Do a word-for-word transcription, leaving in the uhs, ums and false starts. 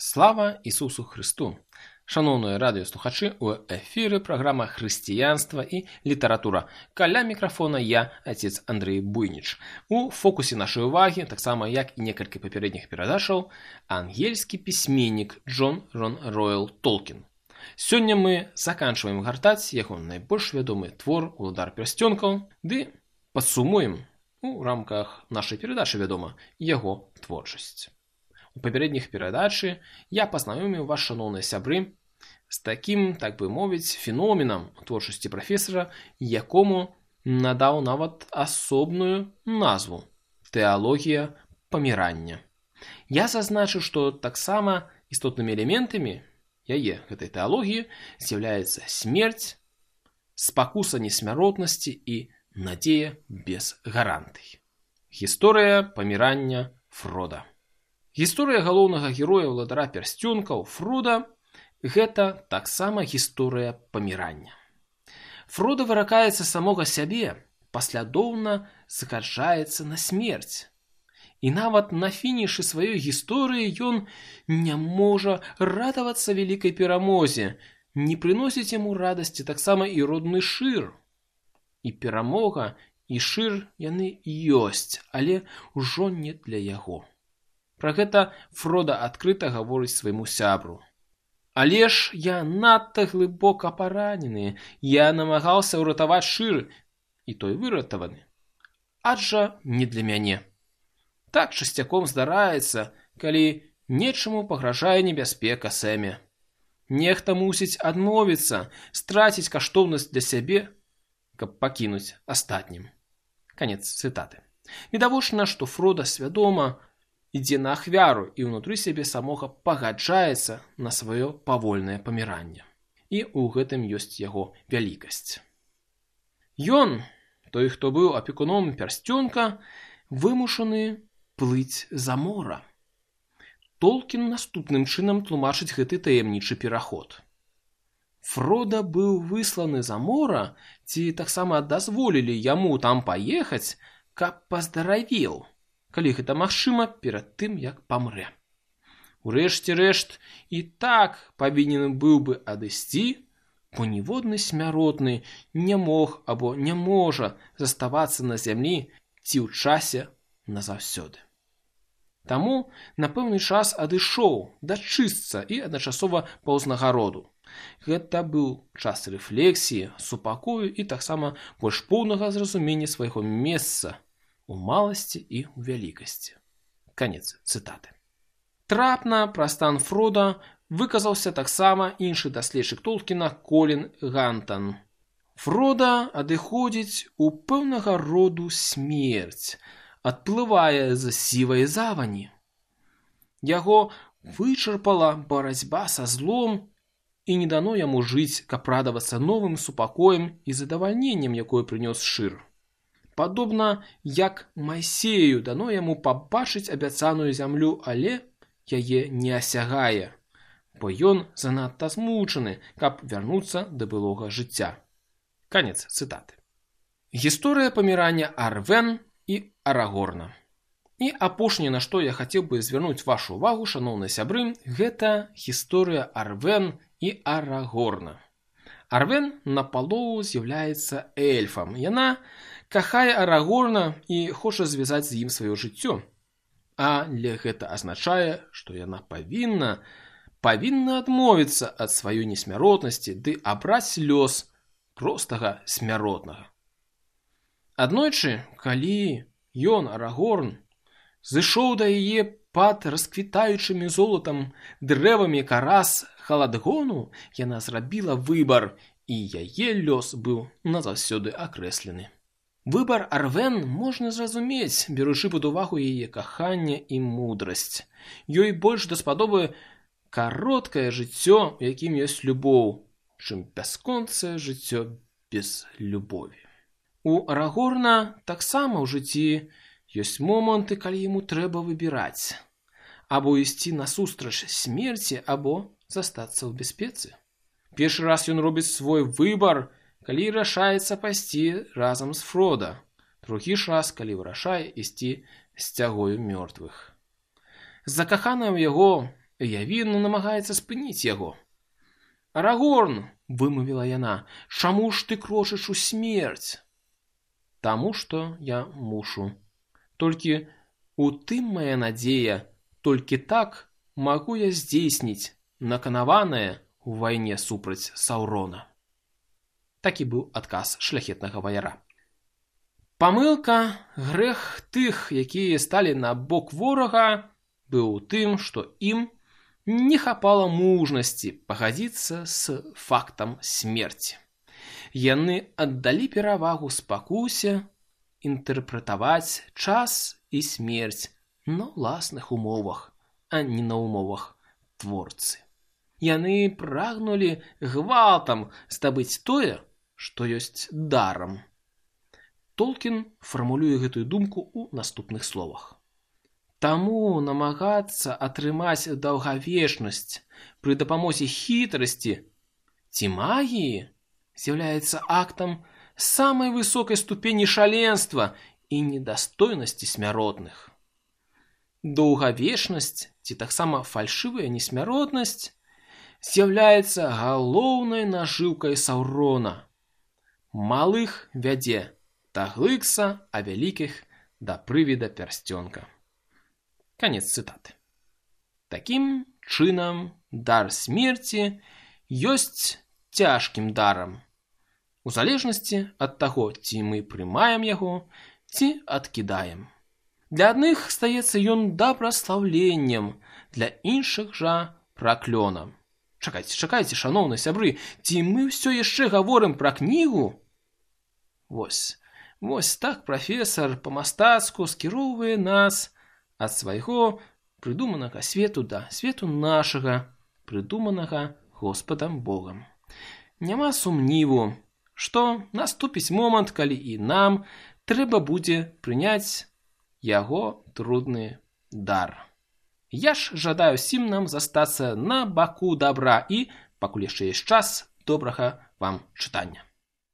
Слава Ісусу Христу! Шановні радіослухачі, у ефірі програма «Християнство і література». Каля мікрофона я, отець Андрій Буйніч. У фокусі нашої уваги, так само як і некалькі папярэдніх перадачаў, ангельскі пісьменнік Джон Рон Ройл Толкін. Сёння мы заканчваем гартаць яго найбольш вядомы твор «Уладар пярсцёнкаў», ды падсумуем у рамках нашай перадачы, вядома, яго творчасць. У папярэдніх перадачы я пазнаёміў вас, шаноўныя сябры, з такім, так бы мовіць, феноменам творчасці прафесара, якому надаў нават асобную назву – тэалогія памірання. Я зазначыў, што таксама істотнымі элементамі яе, гэтай тэалогіі, з'яўляецца смерць, спакуса несмяротнасці і надзея без гарантый. Гісторыя памірання Фрода. Гісторыя галоўнага героя ўладара пярсцёнкаў Фрода – гэта таксама гісторыя памірання. Фрода выракаецца самога сябе, паслядоўна згаджаецца на смерць. І нават на фінішы сваёй гісторыі ён не можа радавацца вялікай перамозе, не прыносіць яму радасці таксама і родны Шыр. І перамога, і Шыр яны ёсць, але ўжо не для яго. Пра гэта Фрода адкрыта гаворыць свайму сябру. Але ж я надта глыбока паранены, я намагаўся ўратаваць Шыр, і той выратаваны. Аджа не для мяне. Так часцяком здараецца, калі нечаму пагражае небяспека Сэме. Нехта мусіць адмовіцца, страціць каштоўнасць для сябе, каб пакінуць астатнім. Канец цытаты. Відавочна, што Фрода свядома ідзе на ахвяру і ўнутры сябе самога пагаджаецца на сваё павольнае паміранне. І ў гэтым ёсць яго вялікасць. Ён, той, хто быў апекуном пярсцёнка, вымушаны плыць за мора. Толкін наступным чынам тлумачыць гэты таямнічы пераход. Фрода быў высланы за мора, ці таксама дазволілі яму там паехаць, каб паздаравеў, калі гэта магчыма, перад тым, як памрэ. Урэшце рэшт, і так павінен быў бы адысці, бо ніводны смяротны не мог або не можа заставацца на зямлі ці ў часе назаўсёды. Таму на пэўны час адышоў дачысцца і адначасова паўзнагароду. Гэта быў час рэфлексіі, супакою і таксама больш поўнага зразумення свайго месца у маласці і ў вялікасці. Канец цытаты. Трапна пра стан Фрода выказаўся таксама іншы даследчык Толкіна Колін Гантан. Фрода адыходзіць у пэўнага роду смерць, адплывае з сівай завані. Яго вычарпала барацьба са злом і не дано яму жыць, каб радавацца новым супакоем і задавальненнем, якое прынёс Шыр. Падобна, як Майсею дано яму пабачыць абяцаную зямлю, але яе не асягае, бо ён занадта змучаны, каб вярнуцца да былога жыцця. Канец цытаты. Гісторыя памірання Арвен і Арагорна. І апошняе, на што я хацеў бы звярнуць вашу увагу, шаноўныя сябры, гэта гісторыя Арвен і Арагорна. Арвен напалову з'яўляецца эльфам. Яна кахае Арагорна і хоча звязаць з ім сваё жыццё. Але гэта азначае, што яна павінна, павінна адмовіцца ад сваёй несмяротнасці ды абраць лёс простага смяротнага. Аднойчы, калі ён, Арагорн, зышоў да яе пад расквітаючымі золатам дрэвамі карас Халадгону, яна зрабіла выбар, і яе лёс быў назаўсёды акрэслены. Выбар Арвен можна зразумець, беручы пад увагу яе каханне і мудрасць. Ёй больш даспадобы кароткае жыццё, у якім ёсць любоў, чым бясконцае жыццё без любові. У Арагорна таксама ў жыцці ёсць моманты, калі яму трэба выбіраць. Або ісці насустрач смерці, або застацца ў бяспецы. Першы раз ён робіць свой выбар, калі рашаецца пайсці разам з Фрода. Другі ж раз, калі вырашае ісці з цягою мёртвых. Закаханая ў яго Явіна намагаецца спыніць яго. «Арагорн!» – вымовіла яна. «Чаму ж ты крочыш у смерць?» «Таму, што я мушу. Толькі у тым мая надзея, толькі так магу я здзейсніць наканаванае ў вайне супраць Саўрона». Такі быў адказ шляхетнага ваяра. Памылка, грэх тых, якія сталі на бок ворага, быў у тым, што ім не хапала мужнасці пагадзіцца з фактам смерці. Яны аддалі перавагу спакусе інтэрпрэтаваць час і смерць на ўласных умовах, а не на умовах творцы. Яны прагнулі гвалтам здабыць тое, што ёсць дарам. Толкін фармулюе гэтую думку ў наступных словах. Таму намагацца атрымаць даўгавечнасць пры дапамозе хітрасці ці магіі з'яўляецца актам самай высокай ступені шаленства і недастойнасці смяротных. Даўгавечнасць ці таксама фальшывая несмяротнасць з'яўляецца галоўнай нажыўкай Саўрона. Малых вядзе да глыкса, а вялікіх да прывіда пярсцёнка. Канец цытаты. Такім чынам, дар смерці ёсць цяжкім дарам, у залежнасці ад таго, ці мы прымаем яго, ці адкідаем. Для адных стаецца ён дабраслаўленнем, для іншых жа праклёнам. Чакайце, чакайце, шаноўныя сябры, ці мы ўсё яшчэ гаворым пра кнігу? Вось, вось так прафесар па-мастацку скіроўвае нас ад свайго прыдуманага свету да свету нашага, прыдуманага Господам Богам. Няма сумніву, што наступіць момант, калі і нам трэба будзе прыняць яго трудны дар. Я ж жадаю ўсім нам застацца на баку дабра і, пакуль яшчэ ёсць час, добрага вам чытання.